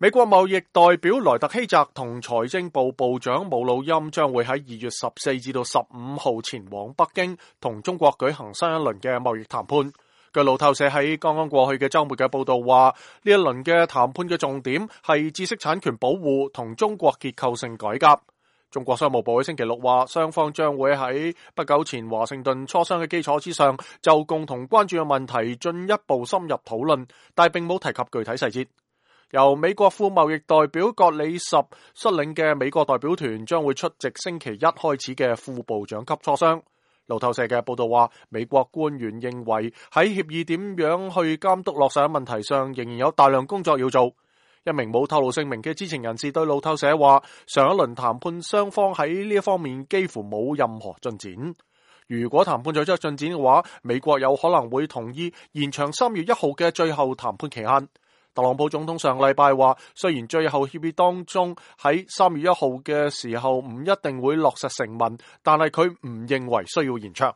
美國貿易代表萊特希澤同財政部部長姆努欽將會喺2月14至到15號前往北京，同中國舉行新一輪嘅貿易談判。據路透社喺剛剛過去嘅週末嘅報道話，呢一輪嘅談判嘅重點係知識產權保護同中國結構性改革。中國商務部喺星期六話，雙方將會喺不久前華盛頓磋商嘅基礎之上，就共同關注嘅問題進一步深入討論，但並冇提及具體細節。由美國副貿易代表葛里什率領嘅美國代表團將會出席星期一開始嘅副部長級磋商。路透社嘅報道話，美國官員認為喺協議點樣去監督落實嘅問題上，仍然有大量工作要做。一名冇透露姓名嘅知情人士對路透社話，上一輪談判雙方喺呢一方面幾乎冇任何進展。如果談判取得進展嘅話，美國有可能會同意延長3月1號嘅最後談判期限。特朗普總統上禮拜話，雖然最後協議當中喺3月1號嘅時候唔一定會落實成文，但係佢唔認為需要延長。